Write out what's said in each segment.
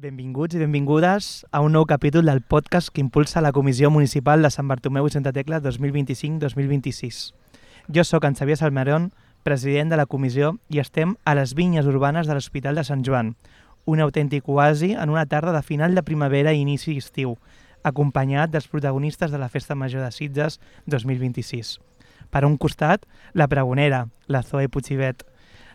Benvinguts i benvingudes a un nou capítol del podcast que impulsa la Comissió Municipal de Sant Bartomeu i Santa Tecla 2025-2026. Jo sóc en Xavier Salmerón, president de la comissió, i estem a les vinyes urbanes de l'Hospital de Sant Joan, un autèntic oasi en una tarda de final de primavera i inici d'estiu, acompanyat dels protagonistes de la Festa Major de Sitges 2026. Per un costat, la pregonera, la Zoe Puigbet.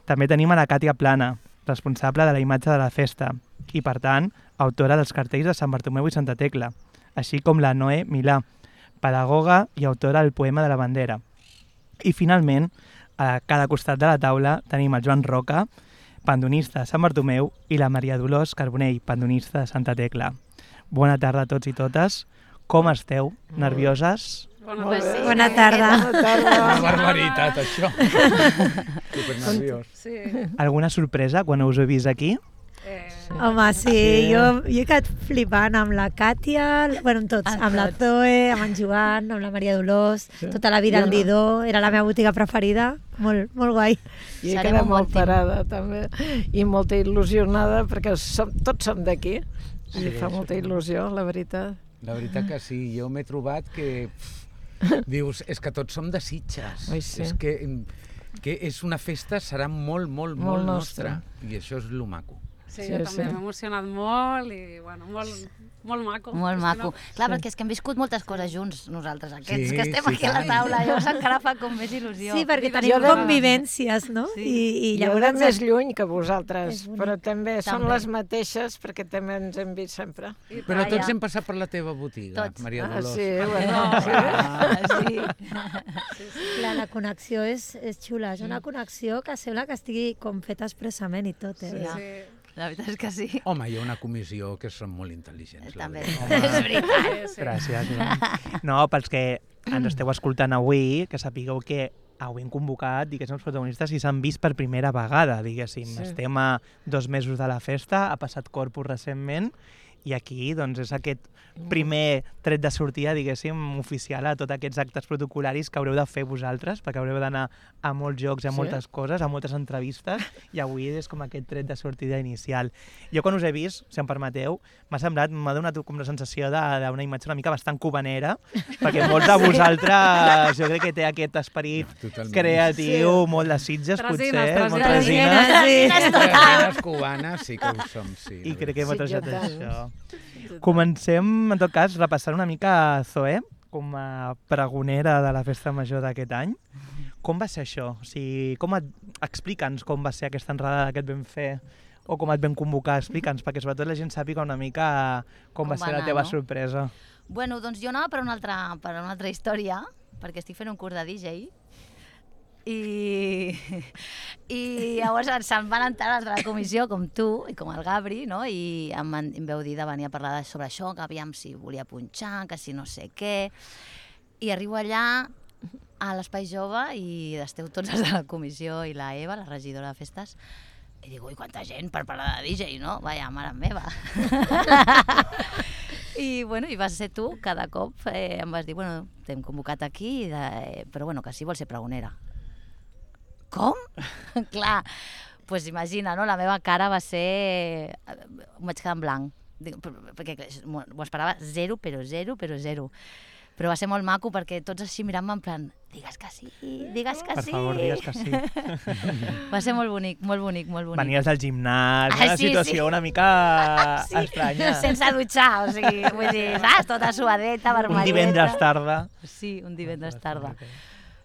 També tenim a la Càtia Plana, responsable de la imatge de la festa, i, per tant, autora dels cartells de Sant Bartomeu i Santa Tecla, així com la Noé Milà, pedagoga i autora del poema de la bandera. I, finalment, a cada costat de la taula tenim el Joan Roca, pandonista de Sant Bartomeu, i la Maria Dolors Carbonell, pandonista de Santa Tecla. Bona tarda a tots i totes. Com esteu? Nervioses? Bona tarda. Una barbaritat, això. Supernerviós. Sí. Alguna sorpresa quan us he vist aquí? Home, sí, jo he quedat flipant amb la Càtia, bueno, amb tots, amb la Zoe, amb en Joan, amb la Maria Dolors, tota la vida al Didó, era la meva botiga preferida, molt guai. I he quedat molt parada, també, i molt il·lusionada, perquè tots som d'aquí, i fa molta il·lusió, la veritat. La veritat que sí, jo m'he trobat que... dius, és que tots som de Sitges. Oi, sí. És que és una festa, serà molt nostra. I això és lo maco. Sí, jo també m'he emocionat molt i, bueno, molt maco. Molt maco. Clar, perquè és que hem viscut moltes coses junts, nosaltres, aquests que estem aquí a la tant. taula. Llavors encara fa com més il·lusió. Sí, perquè tenim convivències, no? I Jo llavors... era més lluny que vosaltres, però també són les mateixes, perquè també ens hem vist sempre. Però tots hem passat per la teva botiga, Tots. Maria Dolors. Sí, bueno, Clar, la connexió és xula, és una connexió que sembla que estigui com feta expressament i tot, eh? Sí. La veritat és que sí. Home, hi ha una comissió que són molt intel·ligents. la També, veritat. és veritat. Gràcies. No, pels que ens esteu escoltant avui, que sapigueu que avui hem convocat, diguéssim, els protagonistes i s'han vist per primera vegada, diguéssim. Sí. Estem a 2 mesos de la festa, ha passat Corpus recentment, i aquí doncs, és aquest primer tret de sortida, diguéssim, oficial a tots aquests actes protocolaris que haureu de fer vosaltres, perquè haureu d'anar a molts jocs, a moltes coses, a moltes entrevistes, i avui és com aquest tret de sortida inicial. Jo quan us he vist, si em permeteu, m'ha donat com la sensació d'una imatge una mica bastant cubanera, perquè molts de vosaltres, jo crec que té aquest esperit creatiu, molt de Sitges, potser, molt resines. Les cubanes sí que ho som, sí. I crec que hem trajat això. Comencem, en tot cas, repassant una mica a Zoe, com a pregonera de la Festa Major d'aquest any. Com va ser això? O sigui, explica'ns com va ser aquesta entrada que et vam fer o com et vam convocar. Explica'ns, perquè sobretot la gent sàpiga una mica com va ser la teva sorpresa. Bueno, doncs jo anava per una altra història, perquè estic fent un curs de DJ, i llavors se'n van entrar els de la comissió, com tu i com el Gabri, no? I em veu dir de venir a parlar sobre això, que aviam si volia punxar, que si no sé què. I arribo allà a l'Espai Jove i esteu tots els de la comissió i la Eva, la regidora de festes, i dic, ui, quanta gent per parlar de DJ, no? Vaja, mare meva. I vas ser tu, cada cop em vas dir, bueno, t'hem convocat aquí, però bueno, que sí vols ser pregonera. Com? Clar, doncs imagina, no? La meva cara va ser... Em vaig quedar en blanc, perquè ho esperava zero. Però va ser molt maco perquè tots així mirant-me en plan, digues que sí. Per favor, digues que sí. Va ser molt bonic. Venies del gimnàs, una situació una mica estranya. Sense dutxar, o sigui, vull dir, saps? Tota suadeta, vermelleta. Un divendres tarda. Sí, un divendres tarda.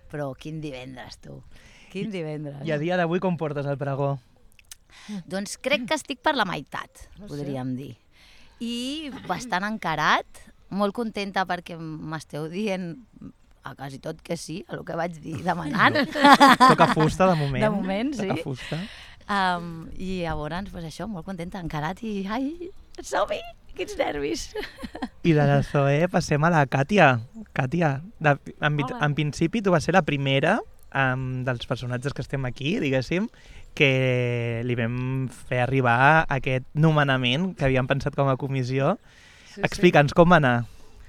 Però quin divendres, tu. Quin divendres. I a dia d'avui com portes el pregó? Doncs crec que estic per la meitat, podríem dir. I bastant encarat, molt contenta perquè m'esteu dient a quasi tot que sí, a el que vaig dir demanant. Toca fusta, de moment. De moment, sí. Toca fusta. I llavors, doncs això, molt contenta, encarat i, ai, som-hi, quins nervis. I de la Zoe passem a la Càtia. Càtia, en principi tu vas ser la primera dels personatges que estem aquí, diguéssim, que li vam fer arribar aquest nomenament que havíem pensat com a comissió. Explica'ns com va anar.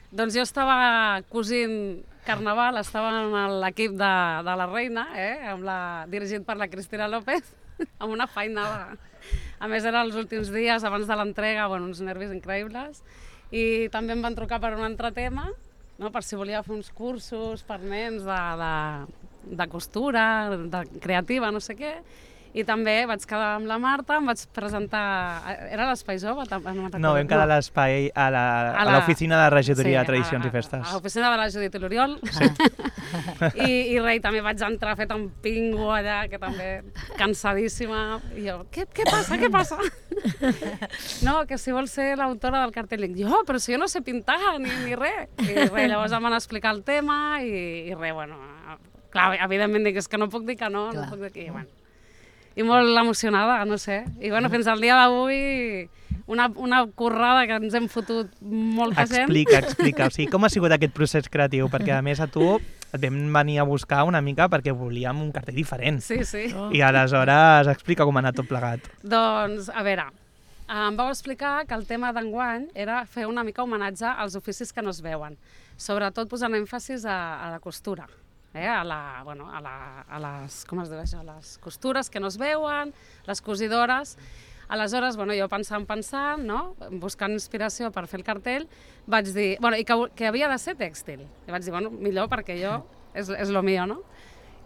Doncs jo estava cosint Carnaval, estava en l'equip de la Reina, dirigit per la Cristina López, amb una feina A més, eren els últims dies abans de l'entrega, bueno, uns nervis increïbles. I també em van trucar per un altre tema, no? Per si volia fer uns cursos per nens de costura, de creativa, no sé què. I també vaig quedar amb la Marta, em vaig presentar... Era l'Espai Jove? No, vam quedar a l'espai, a l'oficina de regidoria de tradicions i festes. A l'oficina de la Judit i l'Oriol. I res, també vaig entrar fet un pingo allà, que també cansadíssima. I jo, què passa, què passa? No, que si vols ser l'autora del cartell. Dic, jo, però si jo no sé pintar ni res. I res, llavors em van explicar el tema i res, bueno... Clar, evidentment dic, és que no puc dir que no puc dir que... Bueno, i molt emocionada, no sé. I bueno, fins al dia d'avui, una currada que ens hem fotut molta gent. Explica. O sigui, com ha sigut aquest procés creatiu? Perquè a més a tu et vam venir a buscar una mica perquè volíem un cartell diferent. Sí. I aleshores explica com ha anat tot plegat. Doncs, a veure, em vau explicar que el tema d'enguany era fer una mica homenatge als oficis que no es veuen. Sobretot posant èmfasis a la costura. A les costures que no es veuen, les cosidores. Aleshores, jo pensant, no? Buscant inspiració per fer el cartell, vaig dir, i que havia de ser tèxtil. I vaig dir, millor perquè jo, és lo mío, no?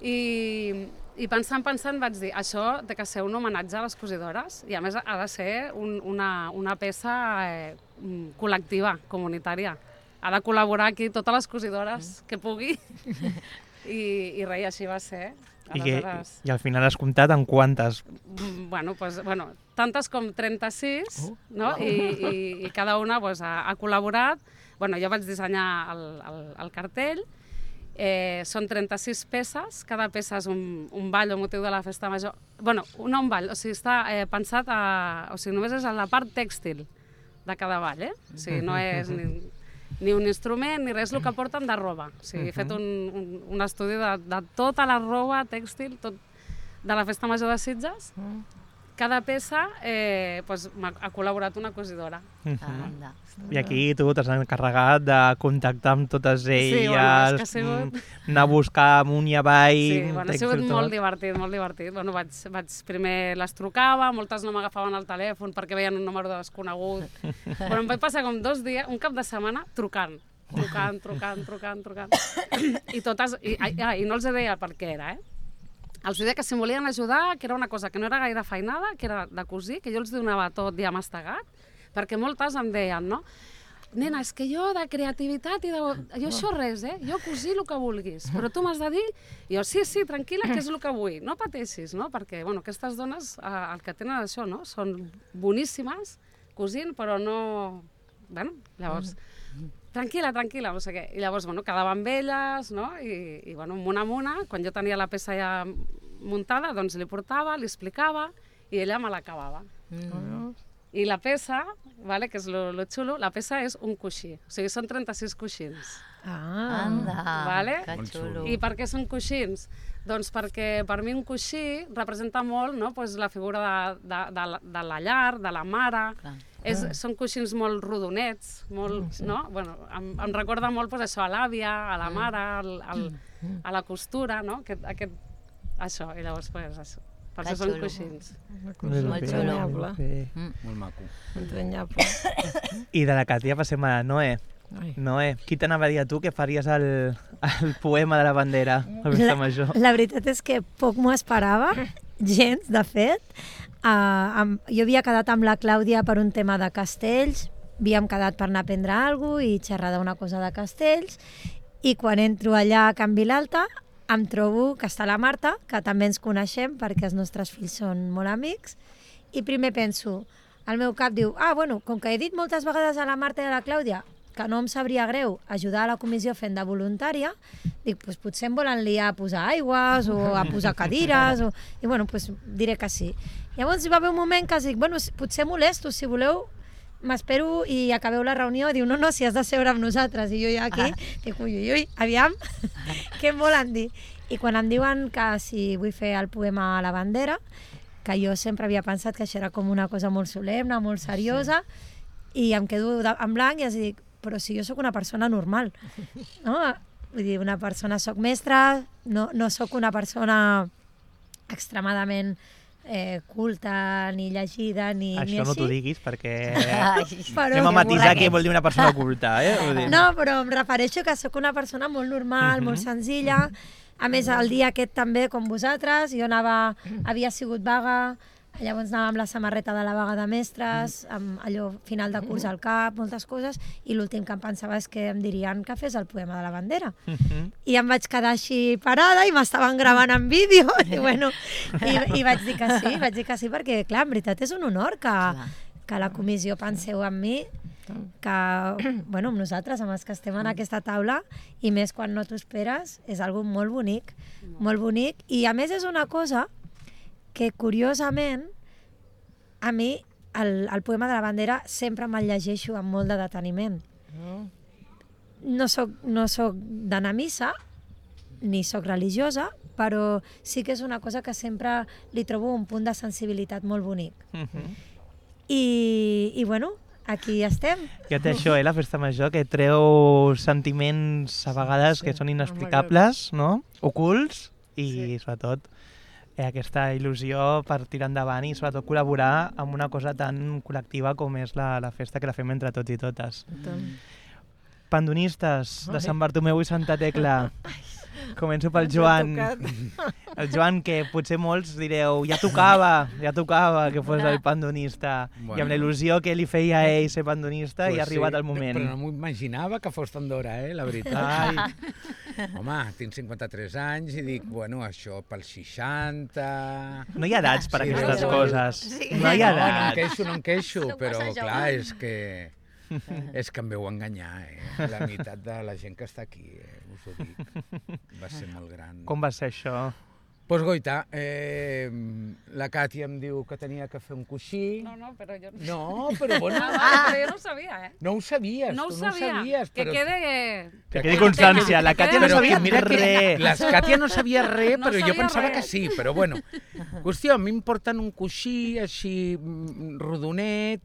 I pensant, vaig dir, això té que ser un homenatge a les cosidores i a més ha de ser una peça col·lectiva, comunitària. Ha de col·laborar aquí totes les cosidores que pugui. I res, així va ser. I al final has comptat en quantes? Tantes com 36, no? I cada una ha col·laborat. Jo vaig dissenyar el cartell. Són 36 peces, cada peça és un ball o motiu de la festa major. No un ball, o sigui, està pensat només és a la part tèxtil de cada ball, O sigui, no és ni un instrument, ni res, el que porten de roba. O sigui, he fet un estudi de tota la roba tèxtil de la Festa Major de Sitges. Cada peça ha col·laborat una cosidora. I aquí tu t'has encarregat de contactar amb totes elles, anar a buscar amunt i avall... Sí, ha sigut molt divertit, molt divertit. Primer les trucava, moltes no m'agafaven el telèfon perquè veien un número desconegut. Em vaig passar com 2 dies, un cap de setmana, trucant. I totes... I no els deia per què era, Els deia que si em volien ajudar, que era una cosa que no era gaire feinada, que era de cosir, que jo els donava tot ja mastegat, perquè moltes em deien, no? Nena, és que jo de creativitat i de... Jo això res, Jo cosir el que vulguis, però tu m'has de dir... Jo, sí, tranquil·la, que és el que vull. No pateixis, no? Perquè, aquestes dones, el que tenen això, no? Són boníssimes cosint, però no... Llavors... Tranquil·la, no sé què. I llavors, quedava amb elles, no? I una amb una, quan jo tenia la peça ja muntada, doncs li portava, li explicava, i ella me l'acabava. I la peça, que és lo xulo, la peça és un coixí. O sigui, són 36 coixins. Anda, que xulo. I per què són coixins? Doncs perquè per mi un coixí representa molt la figura de la llar, de la mare. Són coixins molt rodonets, em recorda molt això, a l'àvia, a la mare, a la costura, no? Això, i llavors això. Per això són coixins. Molt xulo. Molt maco. Entranyable. I de la Càtia passem a Noé. Noé, qui t'anava a dir a tu que faries el poema de la bandera a Festa Major? La veritat és que poc m'ho esperava, gens, de fet. Jo havia quedat amb la Clàudia per un tema de castells, havíem quedat per anar a prendre alguna cosa i xerrar d'una cosa de castells, i quan entro allà a Can Vilalta em trobo que està la Marta, que també ens coneixem perquè els nostres fills són molt amics, i primer penso, el meu cap diu, com que he dit moltes vegades a la Marta i a la Clàudia que no em sabria greu ajudar a la comissió fent de voluntària, dic, potser em volen liar a posar aigües o a posar cadires, i diré que sí. Llavors hi va haver un moment que dic, potser molesto, si voleu m'espero i acabeu la reunió. Diu, no, si has de seure amb nosaltres. I jo ja aquí, dic, ui, aviam, què em volen dir? I quan em diuen que si vull fer el poema a la bandera, que jo sempre havia pensat que això era com una cosa molt solemne, molt seriosa, i em quedo en blanc i els dic, però si jo sóc una persona normal, no? Vull dir, soc mestra, no sóc una persona extremadament culta, ni llegida, ni Això no així. t'ho diguis perquè Però anem a que matisar borraguet. què vol dir una persona culta, Vull dir... No, però em refereixo que sóc una persona molt normal, molt senzilla. A més, el dia aquest també, com vosaltres, jo havia sigut vaga, llavors anava amb la samarreta de la vaga de mestres, amb allò final de curs al cap, moltes coses, i l'últim que em pensava és que em dirien que fes el poema de la bandera. I em vaig quedar així parada i m'estaven gravant en vídeo, i bueno, i vaig dir que sí, perquè, clar, en veritat és un honor que la comissió penseu en mi, que, bueno, amb nosaltres, amb els que estem en aquesta taula, i més quan no t'ho esperes, és algo molt bonic, i a més és una cosa que, curiosament, a mi el poema de la bandera sempre me'l llegeixo amb molt de deteniment. No soc d'anar a missa, ni soc religiosa, però sí que és una cosa que sempre li trobo un punt de sensibilitat molt bonic. I bueno, aquí estem. Ja té això, la festa major, que treu sentiments a vegades que són inexplicables, no? Ocults, i sobretot aquesta il·lusió per tirar endavant i sobretot col·laborar amb una cosa tan col·lectiva com és la festa, que la fem entre tots i totes. Pandonistes de Sant Bartomeu i Santa Tecla. Començo pel Joan. El Joan, que potser molts direu, ja tocava que fos el pandonista. I amb la il·lusió que li feia a ell ser pandonista, i ha arribat el moment. Però no m'ho imaginava que fos tan d'hora, la veritat. Home, tinc 53 anys i dic, bueno, això pels 60... No hi ha edats per aquestes coses. No hi ha edats. No em queixo, però clar, és que em veu enganyar, la meitat de la gent que està aquí, us ho dic. Va ser molt gran. Com va ser això? Doncs goita, la Càtia em diu que tenia que fer un coixí. No, però jo no... No, però bueno... Però jo no ho sabia, No ho sabies, no ho tu no ho sabia. sabies. Que però... Que quedi constància, la Càtia no sabia res. La Càtia no sabia res, No però jo sabia pensava res. que sí. Però bueno, qüestió, a mi em porten un coixí així rodonet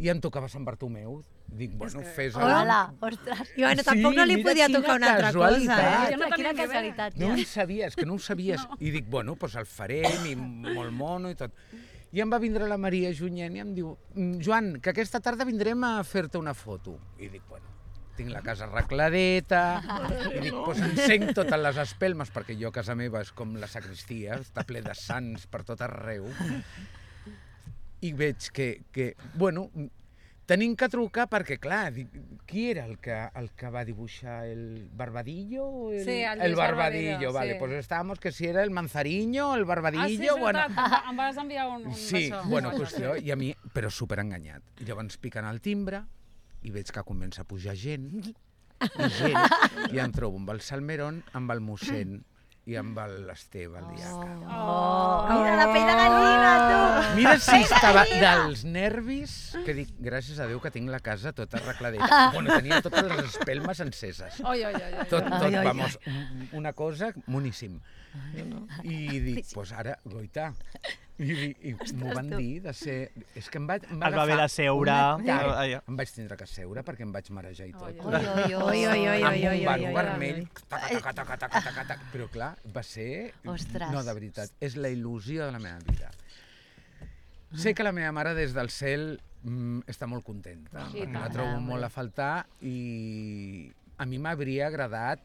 i em tocava Sant Bartomeu. Dic, bueno, fes... Hola, ostres. I bueno, tampoc no li podia tocar una altra cosa, Jo no Quina tenia ni idea. casualitat. No ho sabies, que no ho sabies. I dic, bueno, doncs el farem, i molt mono i tot. I em va vindre la Maria Junyent i em diu, Joan, que aquesta tarda vindrem a fer-te una foto. I dic, bueno, tinc la casa arregladeta, i dic, doncs encenc totes les espelmes, perquè jo a casa meva és com la sagristia, està ple de sants per tot arreu. I veig que bueno, tenim que trucar perquè, clar, qui era el que va dibuixar el Barbadillo? Sí, el el Lluís Barbadillo, Barbadillo, vale, sí. pues estábamos que si era el Manzariño, el Barbadillo... Ah, sí, és bueno, veritat, em vas enviar un sí, això. bueno, qüestió, i a mi, però superenganyat. I llavors piquen el timbre i veig que comença a pujar gent, i em trobo amb el Salmerón, amb el mossèn i amb l'Esteve, el diaca. Mira la pell de gallina, tu! Mira si estava dels nervis, que dic, gràcies a Déu que tinc la casa tota arregladeta. Bueno, tenia totes les espelmes enceses. Oi. Tot, vamos, una cosa moníssim. I dic, pues ara, goita. I m'ho van dir de ser... És que em va Es va haver de seure. Em vaig tindre que seure perquè em vaig marejar i tot. Oi. Amb un barro vermell, taca, però clar, va ser... Ostres. No, de veritat, és la il·lusió de la meva vida. Sé que la meva mare des del cel està molt contenta, I la tant. trobo molt a faltar i a mi m'hauria agradat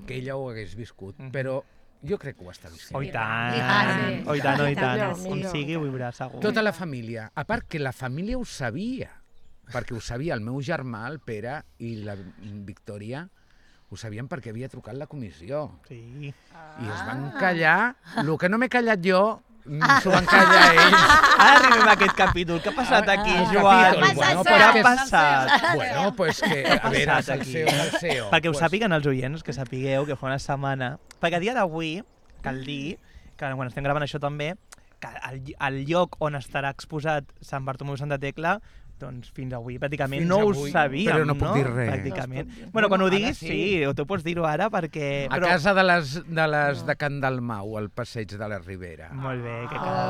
que ella ho hagués viscut, però jo crec que ho està vivint. Oh, i tant. Sí. Oh, i tant, oh, i tant. Millor, On millor. sigui ho viurà, segur. Tota la família. A part que la família ho sabia, perquè ho sabia el meu germà, el Pere, i la Victòria, ho sabien perquè havia trucat la comissió. Sí. I es van callar. El que no m'he callat jo, s'ho van callar ells. Ara arribem a aquest capítol. Què ha passat aquí, Joan? capítol, bueno, Què ha perquè- passat? Bueno, pues que, a veure, passat el aquí? CEO del CEO. Perquè ho Pues, sàpiguen els oients, que sapigueu que fa una setmana... Perquè a dia d'avui, cal dir, que quan estem gravant això també, que el lloc on estarà exposat Sant Bartomeu i Santa Tecla, doncs fins avui pràcticament Fins no ho avui, sabíem, però no puc dir res. Pràcticament. No es pot dir. Bueno, quan ho Bueno, diguis, ara sí, sí. tu pots dir-ho ara perquè... A casa de les de Can Dalmau, al passeig de la Ribera. Molt bé, que cada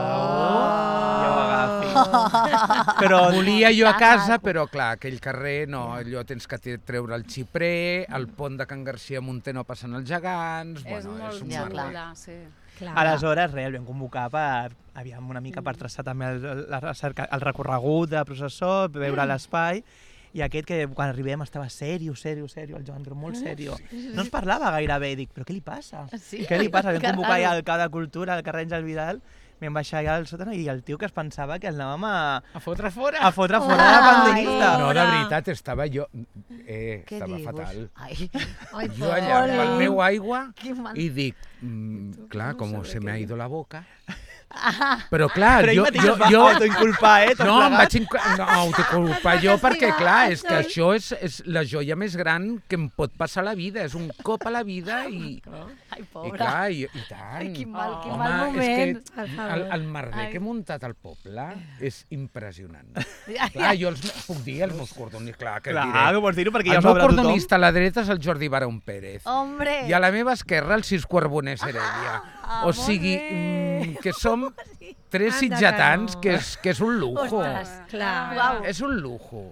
ja ho agafi. Però Volia jo a casa, però clar, aquell carrer no, allò tens que treure el xiprer, el pont de Can Garcia Monter no passen els gegants... És Bueno, molt un Ja, merder. clar. allà, sí. Clar. Aleshores, res, el vam convocar aviam, una mica per traçar també el recorregut de la processó, veure l'espai, i aquest que quan arribem estava serio, el Joan, però molt serio. No ens parlava gairebé, dic, però què li passa? Sí. Què li passa? Vam convocar ja el cap de cultura, el carrer Àngel Vidal, vam baixar allà al sòtano i el tio que es pensava que el anàvem A fotre fora. a fotre fora de la pandemista. No, de veritat, estava jo... Què estava dius? fatal. Ai, Jo allà amb el meu aigua quin mal... i dic, clar, com se me ha ido la boca. Però clar, Però ell jo... mateix es va autoinculpar, tot No, em plegat. vaig autoculpar jo perquè, clar, és que això és la joia més gran que em pot passar a la vida. És un cop a la vida i Ai, pobra. clar, i tant. Ai, quin mal Home, moment. és que el merder que he muntat al poble és impressionant. Ja, Clar, jo puc dir els meus cordonistes, clar, que Clar, diré. que vols dir-ho perquè ja El ho meu sabrà tothom. cordonista a la dreta és el Jordi Barón Pérez. Hombre! I a la meva esquerra el Cisco Arbonés Heredia. O sigui, que som tres Anda, sitjatans, que no. que és un lujo. Ostres, clar. Uau. És un lujo.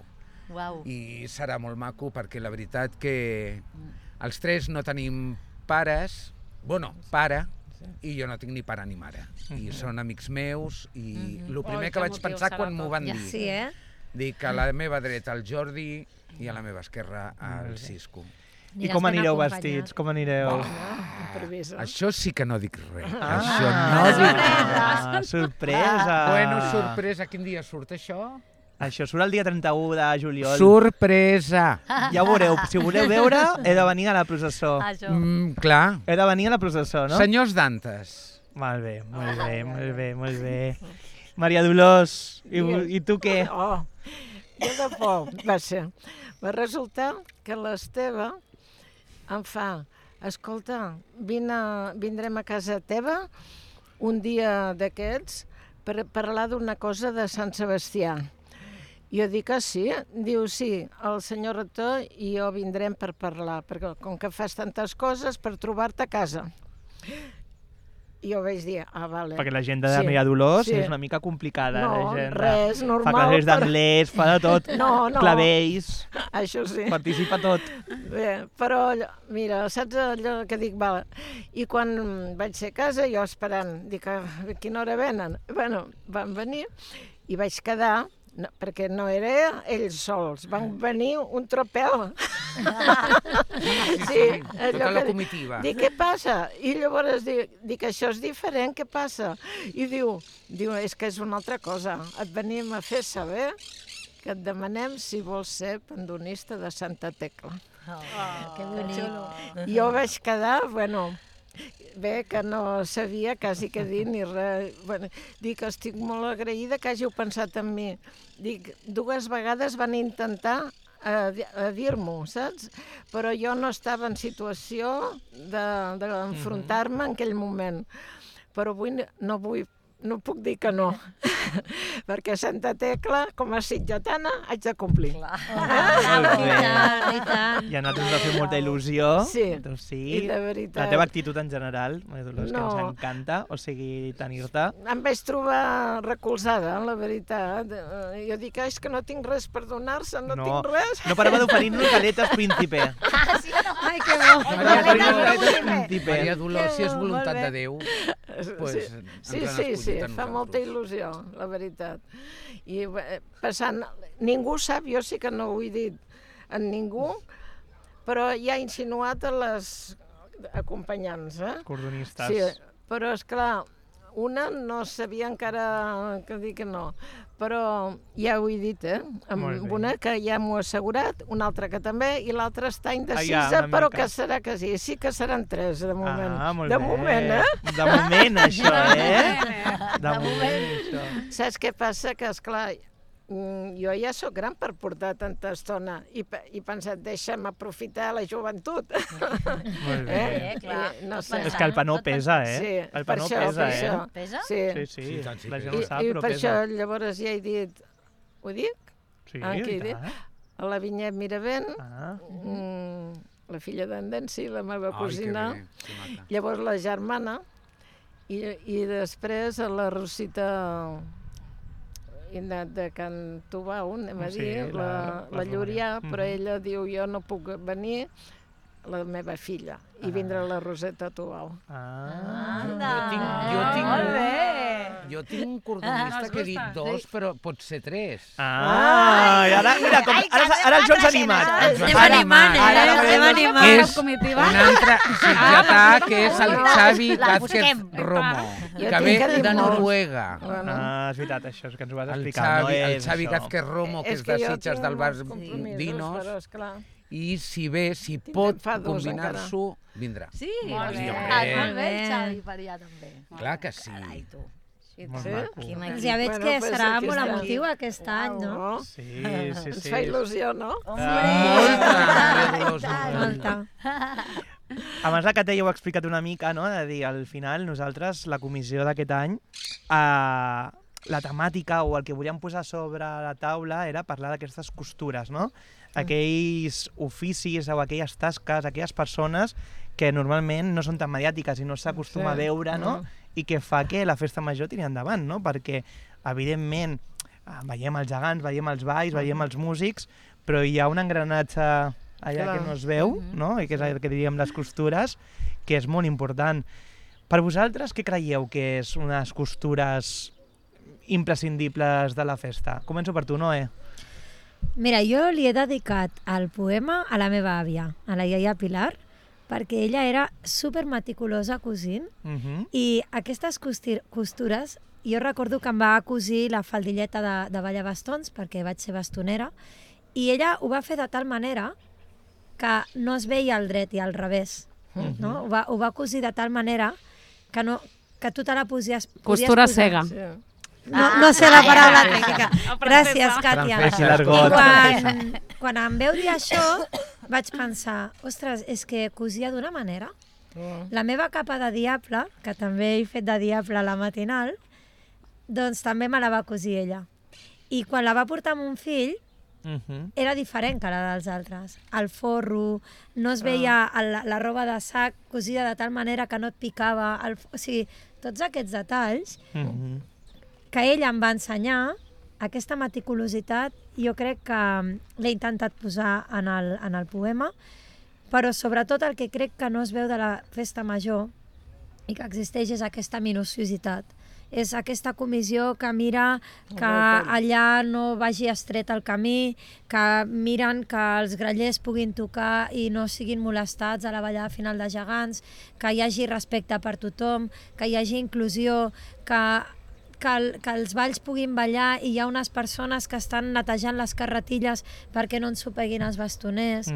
Uau. I serà molt maco perquè la veritat que els tres no tenim pares, bueno, pare, i jo no tinc ni pare ni mare. I són amics meus i el primer que vaig pensar quan m'ho van dir, Sí, dic a la meva dreta el Jordi i a la meva esquerra el Cisco. I com anireu vestits? Com anireu? Improviso. Això sí que no dic res. Ah, Això no dic res. Sorpresa! Bueno, sorpresa, quin dia surt això? Això surt el dia 31 de juliol. Sorpresa! Ja ho veureu. Si ho voleu veure, he de venir a la processó. Això. Clar. He de venir a la processó, no? Senyors Dantes. Molt bé, molt bé, molt bé, molt bé. Maria Dolors, i tu què? Oh, jo de por va ser. Va resultar que l'Esteve em fa, escolta, vindrem a casa teva un dia d'aquests per parlar d'una cosa de Sant Sebastià. Jo dic que sí, diu sí, el senyor rector i jo vindrem per parlar, perquè com que fas tantes coses per trobar-te a casa. I jo vaig dir, vale. Perquè l'agenda de Maria Dolors sí. és una mica complicada. No, l'agenda. res, normal. Fa classes d'anglès, fa de tot. No. Clavells, Això sí. participa tot. Bé, però, mira, saps allò que dic? Val. I quan vaig ser a casa, jo esperant, dic, a quina hora venen? Bueno, van venir i vaig quedar, no, perquè no era ells sols, van venir un tropel. Sí, Tota la comitiva. Dic, què passa? I llavors dic, això és diferent, què passa? I diu, és que és una altra cosa, et venim a fer saber que et demanem si vols ser pandonista de Santa Tecla. Que bonic. Jo vaig quedar, bueno, bé, que no sabia quasi què dir ni res. Bueno, dic, estic molt agraïda que hàgiu pensat en mi. Dic, 2 vegades van intentar dir-m'ho, saps? Però jo no estava en situació d'enfrontar-me en aquell moment. Però avui no puc dir que no, perquè Santa Tecla, com a sitjatana, haig de complir. Molt bé. I tant. I a nosaltres ens va fer molta il·lusió. Sí, doncs sí. i de veritat. La teva actitud en general, Maria Dolors, que No. ens encanta, o sigui, tenir-te. Em vaig trobar recolzada, la veritat. Jo dic, és que no tinc res per donar-se, no tinc res. No parava d'oferir-nos galetes príncipe. Ai, que bo. Maria Galetes príncipe. Maria Dolors, si és Molt voluntat bé. de Déu, pues, Sí, fa molta il·lusió, la veritat. I passant, ningú sap, jo sí que no ho he dit a ningú, però ja ha insinuat a les acompanyants, Cordonistes. Sí, però és clar, una no sabia encara que dir que no, però ja ho he dit, Molt bé. amb una que ja m'ho ha assegurat, una altra que també, i l'altra està indecisa, una però mica. que serà que sí. Sí que seran 3, de moment. Ah, molt de bé. moment, De moment, això, De moment, això. Saps què passa? Que, esclar, jo ja sóc gran per portar tanta estona i he pensat, deixa'm aprofitar la joventut. Molt bé. Clar. No sé. És que el panó pesa, Sí, El per panó això, pesa, per això. Pesa? Sí. Sí, Sí, tant, sí, la pesa. gent ho sap, I però per pesa. això llavors ja he dit, ho dic? Sí, què he i dit? tant. A la Vinyet Miravent, Ah, la filla d'en Densi, la meva Ai, cosina, que maca. llavors la germana, i després a la Rosita de Can Tubau, anem a Sí, dir, la la Llurià, Romaria. però ella diu, jo no puc venir, la meva filla, i vindrà la Roseta Tubau. Jo tinc un cordonista que he dit 2, però pot ser 3. I ara, mira, ara el Joan s'ha animat. Estem animant, estem animant. És un altre sitgetà que és el Xavi Vázquez Romo, que ve de Noruega. És veritat, això és que ens ho vas explicar. El Xavi Vázquez Romo, que és de Sitges del Bar Vinos, i si ve, si pot combinar-s'ho, vindrà. Sí, Molt bé. molt bé el Xavi per allà també. Clar que sí. Carai, tu. Molt maco. Ja veig que serà molt emotiu aquest any, no? Sí. Ens fa il·lusió, no? Molta. Abans la Cate ja ho ha explicat una mica, no? De dir, al final, nosaltres, la comissió d'aquest any, la temàtica o el que volíem posar sobre la taula era parlar d'aquestes costures, no? Aquells oficis o aquelles tasques, aquelles persones que normalment no són tan mediàtiques i no s'acostuma a veure, no? I que fa que la festa major tiri endavant, no? Perquè, evidentment, veiem els gegants, veiem els balls, veiem els músics, però hi ha un engranatge allà que no es veu, no? I que és el que diríem les costures, que és molt important. Per vosaltres, què creieu que és unes costures imprescindibles de la festa? Començo per tu, Noé. Mira, jo li he dedicat el poema a la meva àvia, a la iaia Pilar, perquè ella era super meticulosa cosint i aquestes costures, jo recordo que em va cosir la faldilleta de ballar-bastons perquè vaig ser bastonera i ella ho va fer de tal manera que no es veia al dret i al revés. No? Ho va cosir de tal manera que tu te la podies Costura posar. cega. No sé la paraula tècnica. Gràcies, Càtia. Francesc, I quan em veu dir això, vaig pensar, ostres, és que cosia d'una manera. La meva capa de diable, que també he fet de diable a la matinal, doncs també me la va cosir ella. I quan la va portar amb un fill, era diferent que la dels altres. El forro, no es veia la roba de sac cosida de tal manera que no et picava. O sigui, tots aquests detalls que ella em va ensenyar, aquesta meticulositat, jo crec que l'he intentat posar en el poema, però sobretot el que crec que no es veu de la festa major i que existeix és aquesta minuciositat. És aquesta comissió que mira que allà no vagi estret el camí, que miren que els grallers puguin tocar i no siguin molestats a la ballada final de gegants, que hi hagi respecte per tothom, que hi hagi inclusió, que els balls puguin ballar i hi ha unes persones que estan netejant les carretilles perquè no ensopeguin els bastoners.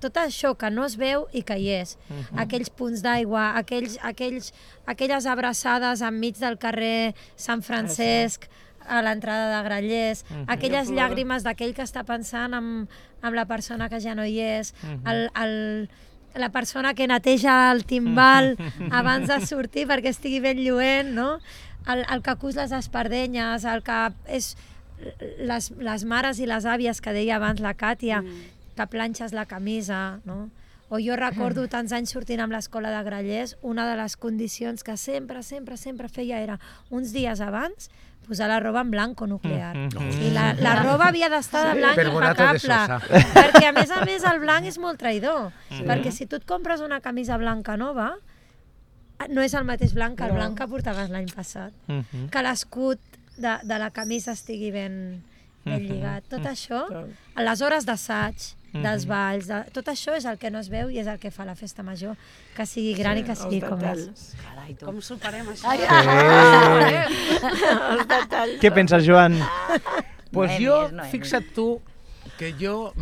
Tot això que no es veu i que hi és. Aquells punts d'aigua, aquelles abraçades enmig del carrer Sant Francesc, a l'entrada de Grallers, aquelles llàgrimes d'aquell que està pensant en la persona que ja no hi és, la persona que neteja el timbal abans de sortir perquè estigui ben lluent, no? El que cus les espardenyes, el que és les mares i les àvies que deia abans la Càtia, que planxes la camisa, no? O jo recordo tants anys sortint amb l'escola de Grallers, una de les condicions que sempre feia era uns dies abans posar la roba en blanc o nuclear. I la roba havia d'estar de blanc impecable, perquè a més el blanc és molt traïdor, perquè si tu et compres una camisa blanca nova, no és el mateix blanc que el blanc que portaves l'any passat. Que l'escut de la camisa estigui ben lligat. Tot això, a les hores d'assaig, dels balls, tot això és el que no es veu i és el que fa la festa major, que sigui gran i que sigui com és. Com superem això? Els detalls. Què penses, Joan? Pues jo, fixa't tu, que jo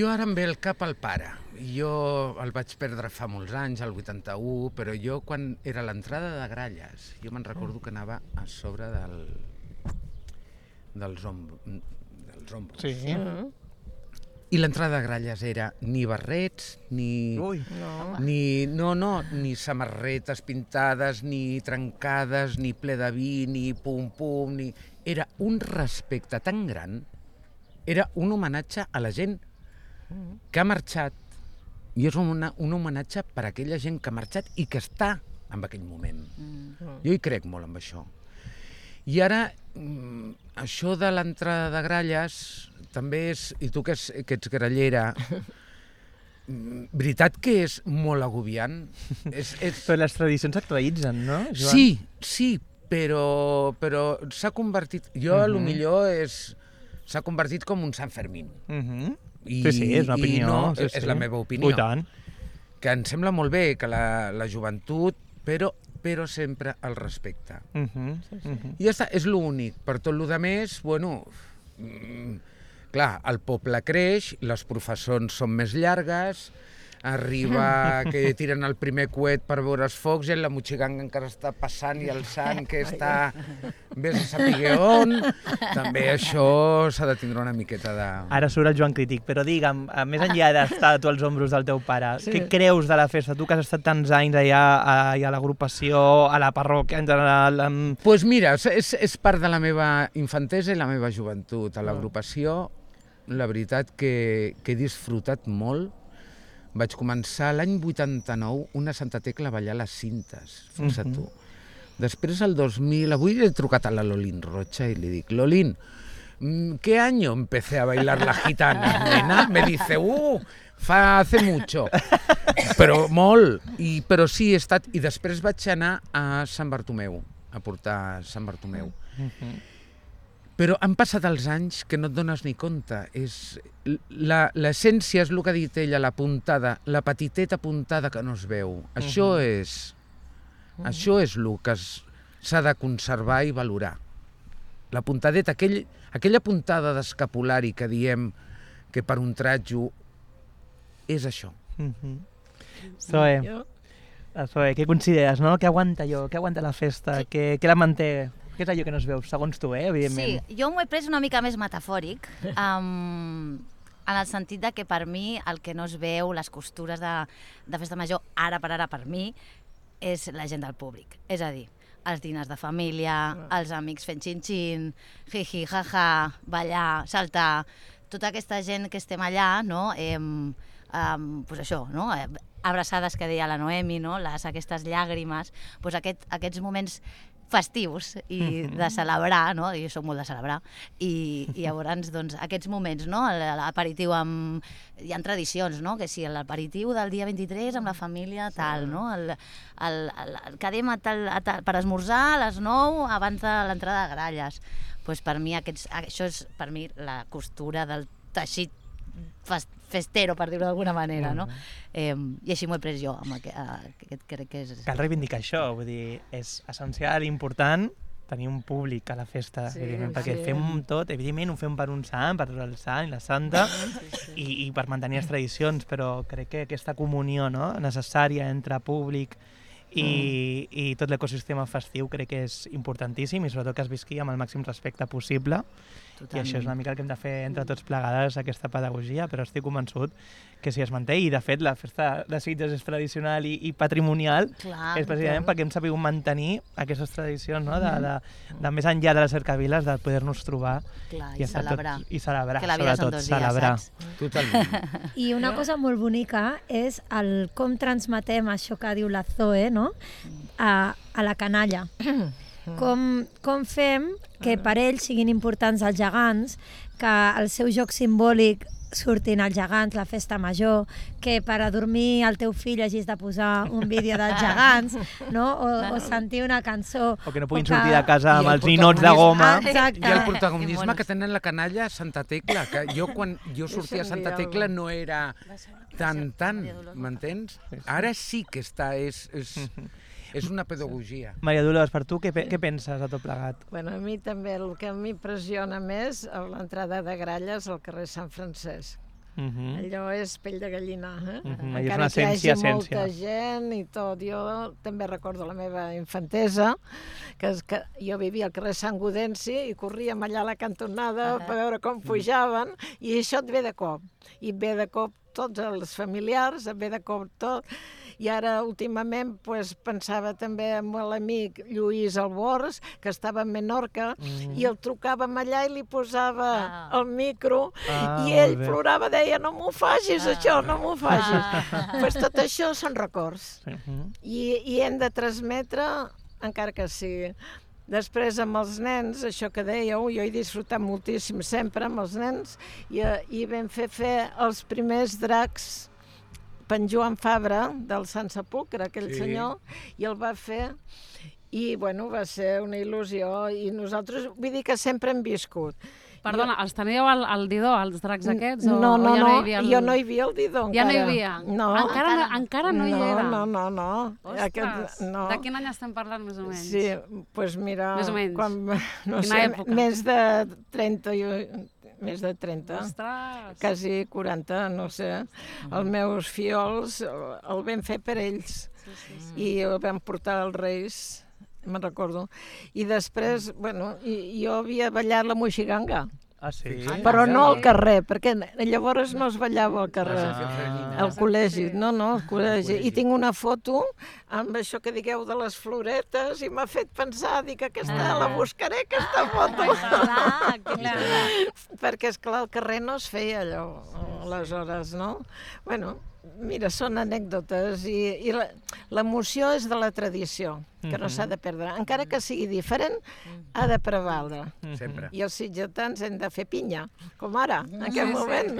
ara em ve el cap al pare. Jo el vaig perdre fa molts anys, al 81, però jo quan era l'entrada de Gralles, jo me'n recordo que anava a sobre dels ombros. Sí. I l'entrada de Gralles era ni barrets, ni samarretes pintades, ni trencades, ni ple de vi, ni pum-pum, ni... Era un respecte tan gran, era un homenatge a la gent que ha marxat, i és un homenatge per a aquella gent que ha marxat i que està en aquell moment. Jo hi crec molt en això. I ara, això de l'entrada de Gralles també és, i tu que ets grallera, veritat que és molt agobiant. Però les tradicions s'actualitzen, no, Sí, Joan? però s'ha convertit... Jo, a lo millor, s'ha convertit com un Sant Fermín. Sí, és una opinió. És la meva opinió. I tant. Que em sembla molt bé que la joventut, però sempre el respecte. I ja està, és l'únic. Per tot el més, bueno... Clar, el poble creix, les professons són més llargues, arriba que tiren el primer coet per veure els focs i la motxiganga encara està passant i el sant que està... Vés a saber on. També això s'ha de tindre una miqueta de... Ara surt el Joan Crític, però digue'm, més enllà d'estar tu als ombros del teu pare, què creus de la festa? Tu que has estat tants anys allà a l'agrupació, a la parròquia en general... Doncs mira, és part de la meva infantesa i la meva joventut. A l'agrupació, la veritat que he disfrutat molt. Vaig començar l'any 89 una Santa Tecla a ballar les cintes, fixa't tu. Després, el 2000, avui he trucat a la Lolín Rocha i li dic, Lolín, ¿qué año empecé a bailar la gitana, nena? Me dice, hace mucho. Però molt, però sí he estat... I després vaig anar a Sant Bartomeu, a portar Sant Bartomeu. Però han passat els anys que no et dones ni compte. L'essència és el que ha dit ella, la puntada, la petiteta puntada que no es veu. Això és el que s'ha de conservar i valorar. La puntadeta, aquella puntada d'escapulari que diem que per un tratjo és això. Zoe, què consideres, no? Què aguanta allò? Què aguanta la festa? Què la manté? Què és allò que no es veu, segons tu, evidentment? Sí, jo m'ho he pres una mica més metafòric, en el sentit de que per mi el que no es veu, les costures de festa major, ara per mi, és la gent del públic. És a dir, els dinars de família, els amics fent xin-xin, jiji, jaja, ballar, saltar, tota aquesta gent que estem allà, no? Pues això, no? Abraçades que deia la Noemi, no? Aquestes llàgrimes, pues aquests moments festius i de celebrar, no? Jo soc molt de celebrar, i llavors, doncs, aquests moments, no? L'aperitiu amb... Hi ha tradicions, no? Que si l'aperitiu del dia 23 amb la família, tal, no? Quedem per esmorzar a les 9 abans de l'entrada de gralles. Doncs per mi, això és per mi la costura del teixit festero, per dir-ho d'alguna manera, no? I així m'ho he pres jo, crec que és... Cal reivindicar això, vull dir, és essencial i important tenir un públic a la festa, evidentment, perquè fem tot, evidentment ho fem per un sant, per el sant i la santa, i per mantenir les tradicions, però crec que aquesta comunió necessària entre públic i tot l'ecosistema festiu crec que és importantíssim i sobretot que es visqui amb el màxim respecte possible. Totalment. I això és una mica el que hem de fer entre tots plegades, aquesta pedagogia, però estic convençut que si es manté, i de fet la festa de Sitges és tradicional i patrimonial, és precisament perquè hem sabut mantenir aquestes tradicions, no? de més enllà de les cercaviles, de poder-nos trobar i celebrar. I celebrar, que la vida sobretot, són 2 dies, saps? Totalment. I una cosa molt bonica és el com transmetem això que diu la Zoe, no? A la canalla. Com fem que per ells siguin importants els gegants, que el seu joc simbòlic surtin els gegants, la festa major, que per a dormir el teu fill hagis de posar un vídeo dels gegants, no? O sentir una cançó. O que no puguin sortir de casa amb els ninots de goma. Exacte. I el protagonisme que tenen la canalla a Santa Tecla, que jo quan jo sortia a Santa Tecla no era tant, m'entens? Ara sí que està, és una pedagogia. Maria Dolors, per tu, què penses de tot plegat? Bueno, a mi també, el que a mi impressiona més a l'entrada de Gralles al carrer Sant Francesc. Allò és pell de gallina, encara que hi hagi molta gent i tot. Jo també recordo la meva infantesa, que jo vivia al carrer Sant Gaudenci i corríem allà a la cantonada per veure com pujaven, i això et ve de cop. I et ve de cop tots els familiars, et ve de cop tot. I ara, últimament, pensava també amb l'amic Lluís Albors, que estava a Menorca, i el trucàvem allà i li posava el micro, i ell plorava, deia, no m'ho facis, això, no m'ho facis. Pues tot això són records. I hem de transmetre, encara que sigui. Després, amb els nens, això que dèieu, jo he disfrutat moltíssim sempre amb els nens, i vam fer els primers dracs en Joan Fabra, del Sant Sepulcre, aquell Sí. senyor, i el va fer, i bueno, va ser una il·lusió, i nosaltres, vull dir que sempre hem viscut. Perdona, els teníeu al Didó, els dracs aquests? No, o no, ja no, hi havia jo no hi havia el Didó encara. Ja no hi havia? No. Encara no hi era? No. Ostres, no. de quin any estem parlant, més o menys? Sí, doncs mira, Més o menys. No Quina sé, època? més de 30, més de 30. Ostres! Quasi 40, no sé. Els meus fiols el vam fer per ells i el vam portar als Reis, me'n recordo. I després, bueno, jo havia ballat la moixiganga, Ah, sí? però no al carrer, perquè llavors no es ballava al carrer. Al col·legi, no, al col·legi. I tinc una foto amb això que digueu de les floretes i m'ha fet pensar, dic, aquesta la buscaré, aquesta foto. Perquè, esclar, al carrer no es feia allò, aleshores, no? Bueno, mira, són anècdotes i l'emoció és de la tradició, que no s'ha de perdre. Encara que sigui diferent, ha de prevaldre. Sempre. I els sitgetans hem de fer pinya, com ara, en aquest moment.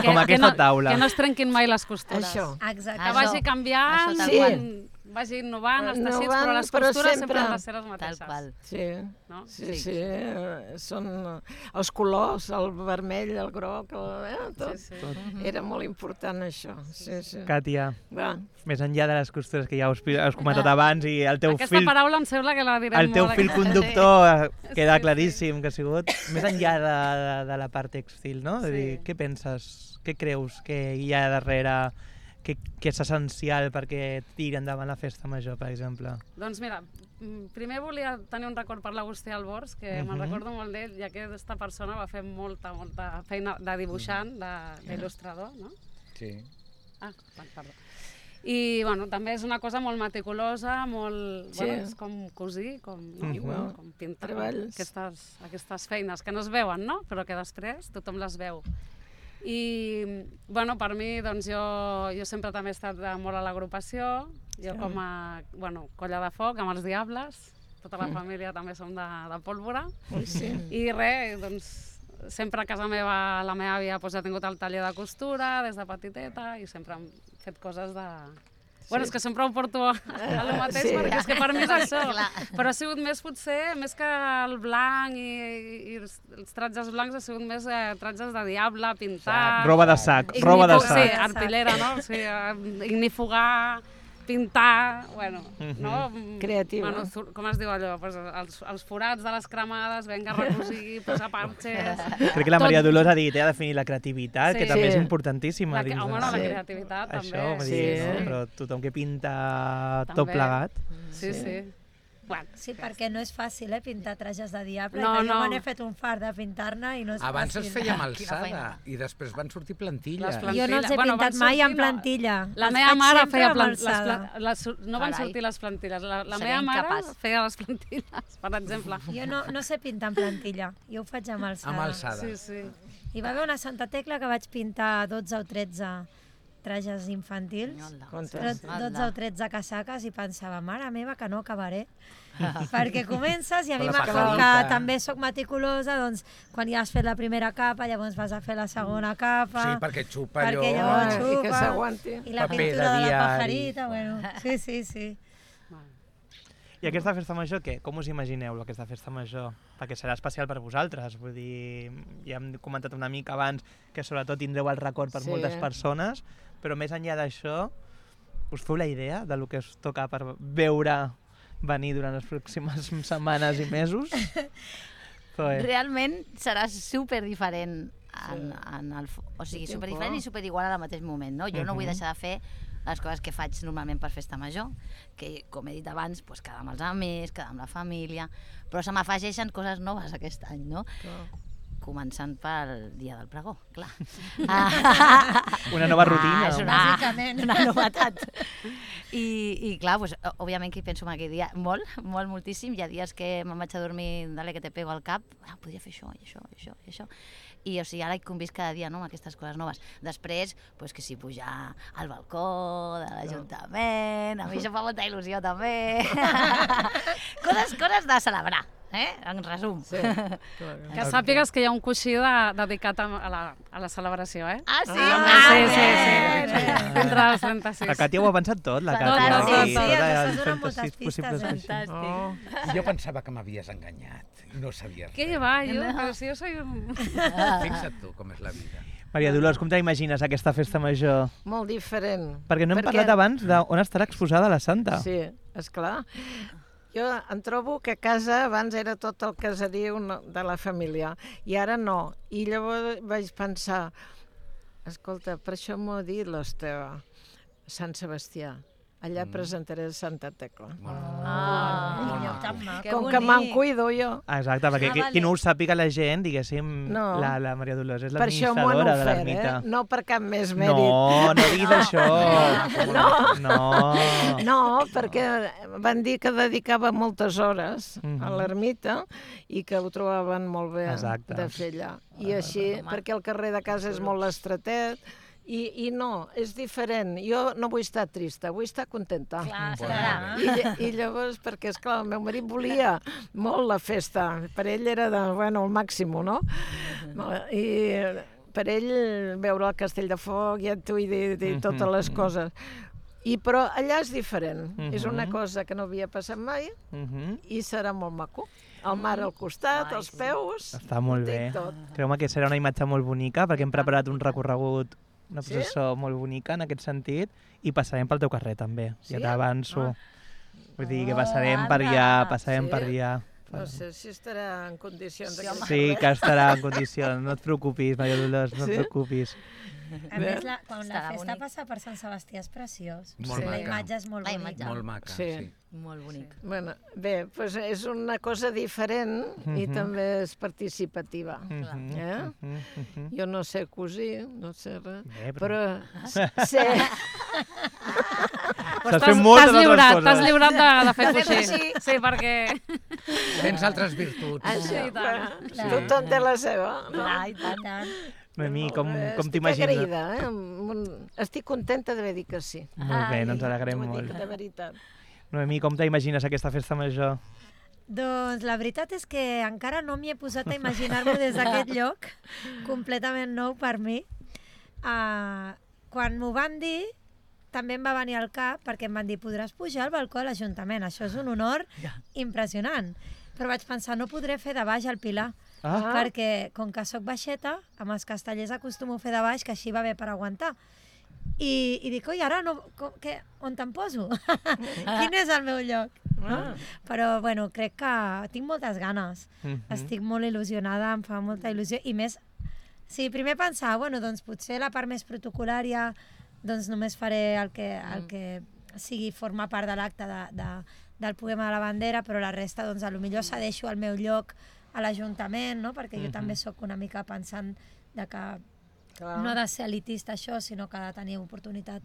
Com aquesta taula. Que no es trenquin mai les costures. Això. Exacte. Que vagi canviant, Això tal qual. vagi innovant els teixits, Innovant, però les però costures sempre sempre han de ser les Tal mateixes. qual. Sí. No? Sí, són els colors, el vermell, el groc, tot. Sí. Era molt important això. Sí. Càtia, Va. més enllà de les costures que ja has comentat abans i el teu Aquesta fil... paraula em sembla que la direm El teu molt. fil conductor queda claríssim que ha sigut, més enllà de la part textil, no? De dir, Sí. què penses, què creus que hi ha darrere, que és essencial perquè tiri endavant la festa major, per exemple? Doncs mira, primer volia tenir un record per l'Agustí Albors, que me'n recordo molt d'ell, ja que aquesta persona va fer molta feina de dibuixant, d'il·lustrador, no? Sí. Ah, perdó. I bueno, també és una cosa molt meticulosa, Sí. bueno, és com cosir, com Igual. com pintar, Treballs. aquestes feines que no es veuen, no? Però que després tothom les veu. I bueno, per mi, doncs jo sempre també he estat molt a l'agrupació, jo com a colla de foc amb els Diables, tota la família també som de pólvora, Sí. i res, doncs sempre a casa meva la meva àvia ja ha tingut el taller de costura des de petiteta i sempre hem fet coses de... Bueno, és que sempre ho porto a lo mateix, Sí. perquè és que per mi és això. Clar. Però ha sigut més, potser, més que el blanc i els tratges blancs, ha sigut més tratges de diable, pintar... Roba de sac, roba de Sí, sac. arpillera, no? O sigui, ignifugar, pintar, bueno, no? Creativa. Bueno, com es diu allò? Pues els forats de les cremades, venga a recosir, posar parxes... Crec que la Maria Dolors ha dit, ha definit la creativitat, Sí. que també és Sí. importantíssima. dins de- Home, no, la Sí. creativitat Això, també. vull Sí. dir, no? Però tothom que pinta tot També. plegat. Sí. Bueno, Sí, perquè no és fàcil, pintar trajes de diable. No, que jo no. me n'he fet un fart de pintar-ne i no és Abans fàcil. es feia amb Quina feina. alçada i després van sortir plantilles. Les plantilles. Jo no els he Bueno, pintat van mai en sortir, no. plantilla. la Els meva faig mare sempre feia amb alçada. no van Carai. sortir les plantilles. La Seria meva mare incapaç. feia les plantilles, per exemple. Jo no sé pintar en plantilla, jo ho faig amb alçada. Amb alçada. Sí. Hi va haver una Santa Tecla que vaig pintar 12 o 13 trajes infantils, però 12 o 13 casaques i pensava, mare meva, que no acabaré. Perquè comences i a mi Con la com pajarita. que també sóc meticulosa, doncs quan ja has fet la primera capa, llavors vas a fer la segona capa. Sí, perquè xupa allò... Perquè llavors I que xupa, s'aguanti. i la Paper pintura de de la diari. pajarita, bueno, sí. I aquesta festa major, què? Com us imagineu, aquesta festa major? Perquè serà especial per vosaltres, vull dir, ja hem comentat una mica abans que sobretot tindreu el record per Sí. moltes persones, però més enllà d'això, us feu la idea de lo que us toca per veure venir durant les pròximes setmanes i mesos? Realment serà super diferent o sigui, Tinc super diferent por. i super igual al mateix moment, no? Jo no vull deixar de fer les coses que faig normalment per festa major, que, com he dit abans, pues, quedar amb els amics, quedar amb la família, però se m'afegeixen coses noves aquest any, no? Començant pel dia del pregó, clar. Una nova rutina. És Bàsicament. una novetat. I clar, pues, òbviament que hi penso en aquell dia moltíssim. Hi ha dies que me'n vaig a dormir, dale que te pego al cap, podria fer això, i això, i això, i això. I o sigui, ara hi convisc cada dia, no?, amb aquestes coses noves. Després, pues, que si pujar al balcó de l'Ajuntament, a mi això fa molta il·lusió també. coses de celebrar. En resum. Sí. Que sàpigues que hi ha un coixí dedicat a la celebració, eh? Ah, sí? Sí. Entre els 36. La Càtia ho ha pensat tot, la Tot, Càtia. tot, aquí, tot. tot, ens els has donat 36 moltes possibles pistes, coixins. Fantàstic. Jo pensava que m'havies enganyat i no sabies Què res. va, però si jo soy un... Fixa't tu com és la vida. Maria Dolors, com t'imagines aquesta festa major? Molt diferent. Perquè no hem parlat abans d'on estarà exposada la Santa. Sí, esclar. Jo em trobo que a casa abans era tot el caseriu de la família i ara no. I llavors vaig pensar, escolta, per això m'ho ha dit l'Esteve, Sant Sebastià. Allà presentaré Santa Tecla. Com que me'n cuido jo. Exacte, perquè qui no ho sàpiga la gent, diguéssim, No. la Maria Dolors és Per això m'ho han l'administradora de ofert, l'ermita. no per cap més mèrit. No diguis això. No. No, perquè van dir que dedicava moltes hores a l'ermita i que ho trobaven molt bé Exacte. de fer allà. I així, perquè el carrer de casa és molt estretet, i no, és diferent. Jo no vull estar trista, vull estar contenta. Clar, serà. I llavors, perquè, esclar, el meu marit volia molt la festa. Per ell era el màxim, no? I per ell veure el Castell de Foc, ja t'ho he dit, totes les coses. Però allà és diferent. És una cosa que no havia passat mai i serà molt maco. El mar al costat, els peus... Està molt bé. Creu-me que serà una imatge molt bonica perquè hem preparat un recorregut, una processó molt bonica en aquest sentit i passarem pel teu carrer també, ja t'avanço. Vull dir que passarem per allà, No sé si estarà en condicions de... Sí, que estarà en condicions, no et preocupis, Maria Dolors, no et preocupis. A més, quan la festa passa per Sant Sebastià és preciós. Molt La maca. imatge és molt bonica. Molt maca, Sí. sí. Molt bonic. Bé, doncs és una cosa diferent i també és participativa. Jo no sé cosir, no sé res, però sé... Estàs fent moltes altres coses. T'has lliurat de fer coixí. Sí, perquè... Tens altres virtuts. Això, tothom té la seva. I tant. Noemí, com Estic t'imagines? agraïda, estic contenta d'haver dit que sí. Molt bé, no ens alegrem Ho dic molt. de veritat. Noemí, com t'imagines aquesta festa major? Doncs la veritat és que encara no m'hi he posat a imaginar-m'ho des d'aquest lloc, completament nou per mi. Quan m'ho van dir, també em va venir al cap, perquè em van dir, podràs pujar al balcó de l'Ajuntament, això és un honor impressionant. Però vaig pensar, no podré fer de baix al Pilar, perquè com que sóc baixeta, amb els castellers acostumo a fer de baix, que així va bé per aguantar. I dic, oi, ara no, on te'n poso? Quin és el meu lloc? Però, bueno, crec que tinc moltes ganes. Estic molt il·lusionada, em fa molta il·lusió. I més, sí, primer pensar, bueno, doncs potser la part més protocolària, doncs només faré el que sigui formar part de l'acte del poema de la bandera, però la resta, doncs, potser cedeixo el meu lloc a l'Ajuntament, no? Perquè jo també sóc una mica pensant de que no ha de ser elitista això, sinó que ha de tenir oportunitat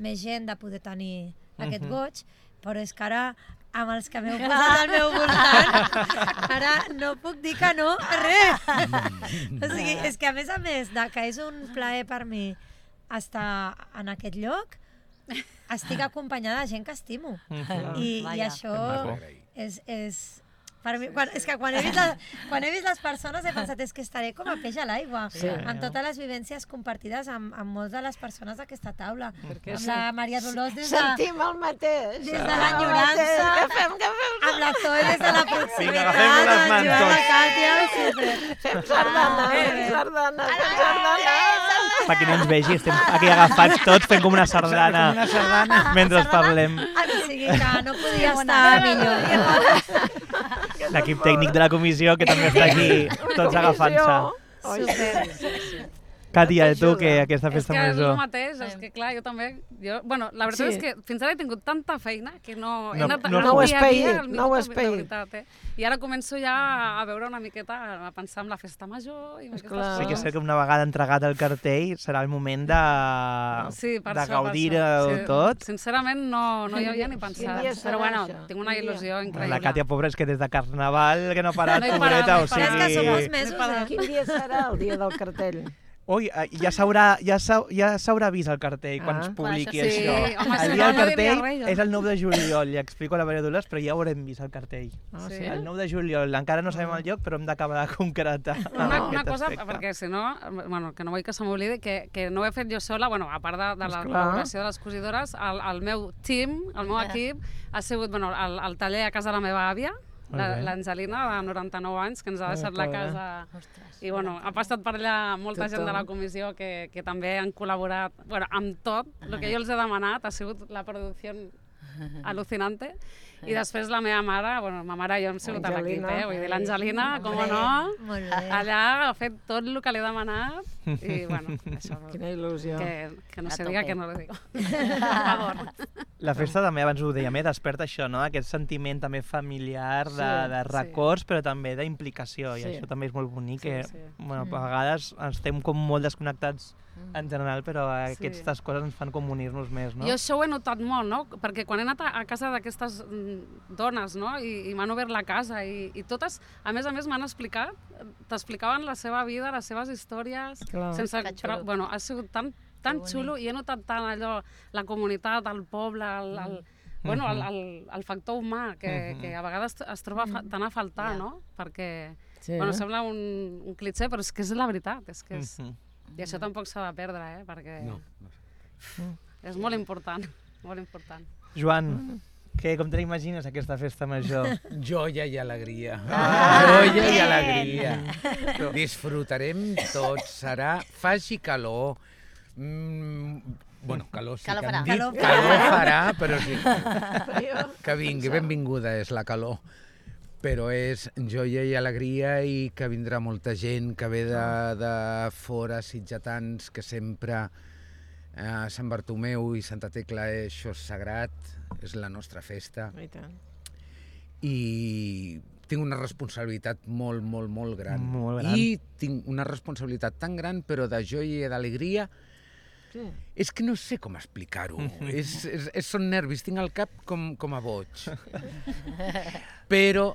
més gent de poder tenir aquest goig, però és que ara, amb els que m'heu posat al meu voltant, ara no puc dir que no a res. O sigui, és que a més, que és un plaer per mi estar en aquest lloc, estic acompanyada de gent que estimo. I això és... Per mi, és que quan he vist les persones he pensat és que estaré com a peix a l'aigua, amb totes les vivències compartides amb moltes de les persones d'aquesta taula. Amb la Maria Dolors Sentim el mateix. Des de l'enyorança, amb la Zoe des de la proximitat, agafem-nos les amb mans Joan, la tots. Càtia... Fem sardana. Per qui no ens vegi, estem aquí agafats tots fent com una sardana mentre parlem. O sigui que no podia estar millor. L'equip tècnic de la comissió que també està aquí, tots agafant-se. Càtia, tu, que aquesta festa És que és el major... mateix, és que clar, jo també... Bueno, la veritat és que fins ara he tingut tanta feina que no he anat no ho has dia a dia paït, al no ho has minut, de paït. veritat, I ara començo ja a veure una miqueta, a pensar en la festa major i en aquestes coses. Sí que sé que una vegada entregat el cartell serà el moment de gaudir-ho tot. Sincerament no hi havia ni pensat, però bueno, tinc una il·lusió increïble. La Càtia, pobra, és que des de Carnaval que no ha parat, No he parat, pobreta, no he o parat. Però és que som sigui... molts mesos, Quin dia serà el dia del cartell? Ui, ja s'haurà vist el cartell quan es publiqui Sí, això. home, si El no, dia del no diria cartell res, jo. és el 9 de juliol, li explico a la Maria Dolors, però ja haurem vist el cartell. Ah, Sí. sí? El 9 de juliol, encara no sabem el lloc, però hem d'acabar de concretar Una aquest cosa, aspecte. perquè si no, bueno, que no vull que se m'oblidi, que no ho he fet jo sola, bueno, a part de la Esclar. col·laboració de les cosidores, el meu team, el meu equip, ha sigut bueno, el taller a casa de la meva àvia, Molt bé. l'Angelina, de 99 anys, que ens ha deixat la casa. I bueno, ha passat per allà molta gent de la comissió que també han col·laborat bueno, amb tot. El que jo els he demanat ha sigut la producció al·lucinante. I després la meva mare, bueno, ma mare i jo hem sigut a l'equip, vull dir, l'Angelina, com no, Molt bé. allà ha fet tot el que li he demanat i bueno, això, Quina il·lusió. que no A se tope. diga que no lo digo. Per favor. La festa també, abans ho dèiem, desperta això, no? Aquest sentiment també familiar de Sí. records, però també d'implicació, i Sí. això també és molt bonic, Sí, que sí. bueno, a vegades estem com molt desconnectats en general, però aquestes coses ens fan com unir-nos més, no? Jo això ho he notat molt, no? Perquè quan he anat a casa d'aquestes dones, no? I m'han obert la casa i totes, a més m'han explicat, t'explicaven la seva vida, les seves històries, Clar. sense... Que xulo. Bueno, ha sigut tan bonic. xulo i he notat tant allò, la comunitat, el poble, bueno, el factor humà, que a vegades es troba tant a faltar, no? Perquè, Sí. bueno, sembla un clitxer, però és que és la veritat, és que és... Mhm. I això tampoc s'ha de perdre, perquè No. és molt important, molt important. Joan, com te l'imagines aquesta festa major? Joia i alegria. Joia i alegria. Disfrutarem tots. Faci calor. Bueno, calor sí Calor que farà. hem dit. Calor Calor farà, però sí. Que vingui, benvinguda és la calor. Però és joia i alegria i que vindrà molta gent que ve de fora, sitgetans, que sempre a Sant Bartomeu i Santa Tecla això és sagrat, és la nostra festa. I tant. I tinc una responsabilitat molt, molt, molt gran. Molt gran. I tinc una responsabilitat tan gran, però de joia i d'alegria, Sí. és que no sé com explicar-ho. Són nervis, tinc el cap com a boig. Però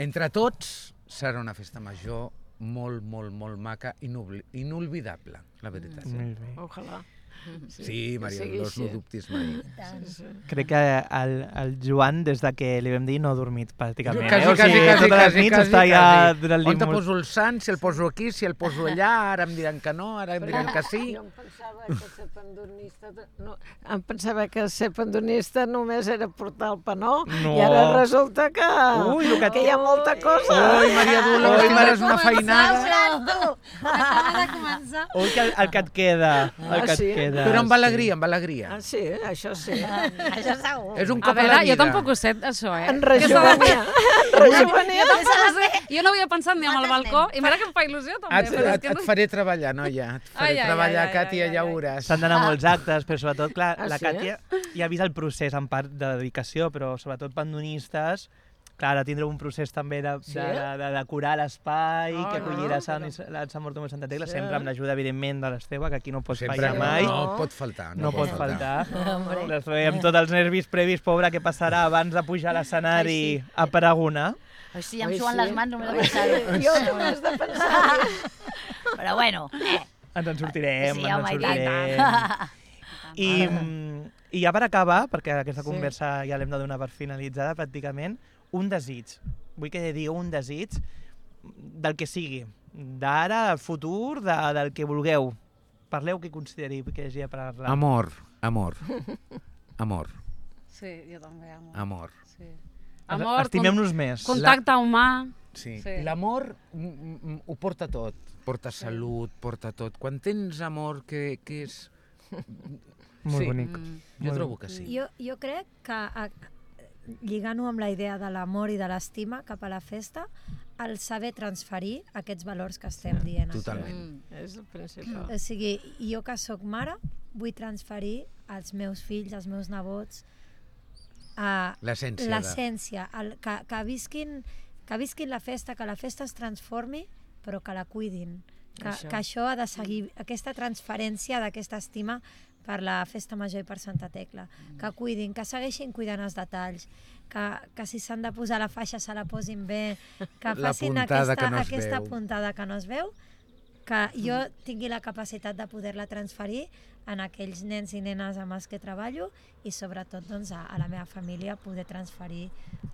entre tots serà una festa major molt, molt, molt maca, inolvidable, la veritat. Molt bé. Ojalà. Sí, Maria sigui Dolors, no així. dubtis mai. Crec que el Joan, des de que li vam dir, no ha dormit pràcticament. Quasi, O sigui, totes les nits està ja donant-li On te poso el sant, si el poso aquí, si el poso allà, ara em diran que no, ara em diran que sí. Jo em pensava que ser pandonista només era portar el panó No. i ara resulta que, Ui, el que que hi ha molta cosa. Ui, Maria Dolors, tindràs una feinada. Acaba de començar. Ui, que el que et queda, el que et sí? queda. Però amb alegria, amb alegria. Ah, sí, això sí. Això segur. És un A cop a la veure, vida. jo tampoc ho sé, això, En rejuvenir. Jo no havia pensat ni amb el balcó, i mira que em fa il·lusió també. però és que Et faré treballar, noia. Et faré Ai, ai, treballar, ai, ai, Càtia, ai, ja ai. ho veuràs. S'han d'anar a molts actes, però sobretot, clar, Ah, la sí? Càtia ja ha vist el procés en part de dedicació, però sobretot pandonistes, clar, ara tindreu un procés també de decorar l'espai, que acollirà Sant Bartomeu i Santa Tecla, sempre amb l'ajuda, evidentment, de l'Esteve, que aquí no pot Sempre fallar mai. no pot faltar. No pot faltar. L'Esteve amb tots els nervis previs, pobra, què passarà abans de pujar a l'escenari a pregonar. Ai, sí, em Ai, suen sí. les mans només de pensar-ho. Jo només de pensar. Però bueno, Ens en sortirem, Sí, ens en home, i tant. sortirem. I ja per acabar, perquè aquesta conversa ja l'hem de donar per finalitzada pràcticament, un desig. Vull que digueu un desig del que sigui, d'ara, al futur, del que vulgueu. Parleu que consideri que hagi de parlar. Amor, amor, amor, Sí, jo també, amor. amor. Sí. Amor, Estimem-nos més. contacte humà. Sí. Sí. L'amor ho porta tot. Porta salut, porta tot. Quan tens amor, que és... Molt sí. bonic. Jo trobo que sí. Jo crec que, lligant-ho amb la idea de l'amor i de l'estima cap a la festa, el saber transferir aquests valors que estem dient. aquí. Totalment. És el principal. O sigui, jo que sóc mare, vull transferir als meus fills, als meus nebots, L'essència. l'essència, que visquin la festa, que la festa es transformi, però que la cuidin. Que això ha de seguir, aquesta transferència d'aquesta estima per la Festa Major i per Santa Tecla. Que cuidin, que segueixin cuidant els detalls, que si s'han de posar la faixa se la posin bé, que La facin puntada que no es aquesta veu. puntada que no es veu, que jo tingui la capacitat de poder-la transferir en aquells nens i nenes amb els que treballo i sobretot doncs, a la meva família poder transferir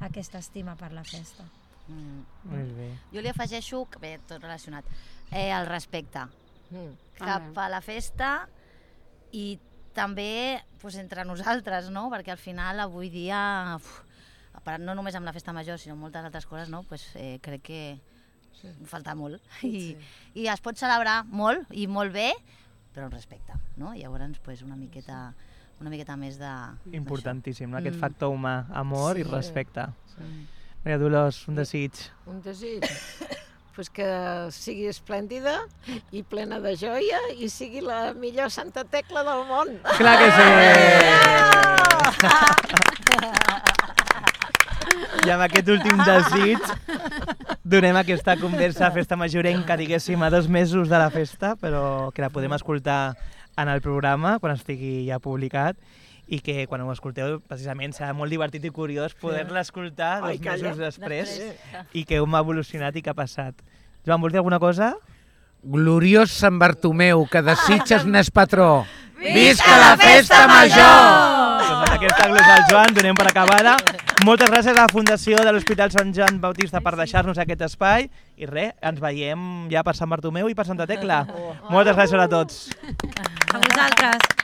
aquesta estima per la festa. Molt bé. Jo li afegeixo, bé, tot relacionat, el respecte cap a la festa i també doncs, entre nosaltres, no? Perquè al final avui dia, no només amb la festa major, sinó moltes altres coses, no? Pues, crec que falta molt i es pot celebrar molt i molt bé, però amb respecte, no? Llavors pues, una miqueta més de... Importantíssim, no? Aquest factor humà, amor i respecte. Maria Dolors, un desig. Un desig? Pues que sigui esplèndida i plena de joia i sigui la millor Santa Tecla del món. Clar que sí! I amb aquest últim desig donem aquesta conversa a Festa Majorenca, diguéssim, a 2 mesos de la festa, però que la podem escoltar en el programa quan estigui ja publicat i que quan ho escolteu precisament serà molt divertit i curiós poder-la escoltar 2 mesos després i que hem evolucionat i què ha passat. Joan, vols dir alguna cosa? Gloriós Sant Bartomeu, que desitges n'és patró. Visca la festa major! Doncs amb aquesta glosa al Joan donem per acabada. Moltes gràcies a la Fundació de l'Hospital Sant Joan Bautista per deixar-nos aquest espai i res, ens veiem ja per Sant Bartomeu i per Santa Tecla. Moltes gràcies a tots. A vosaltres.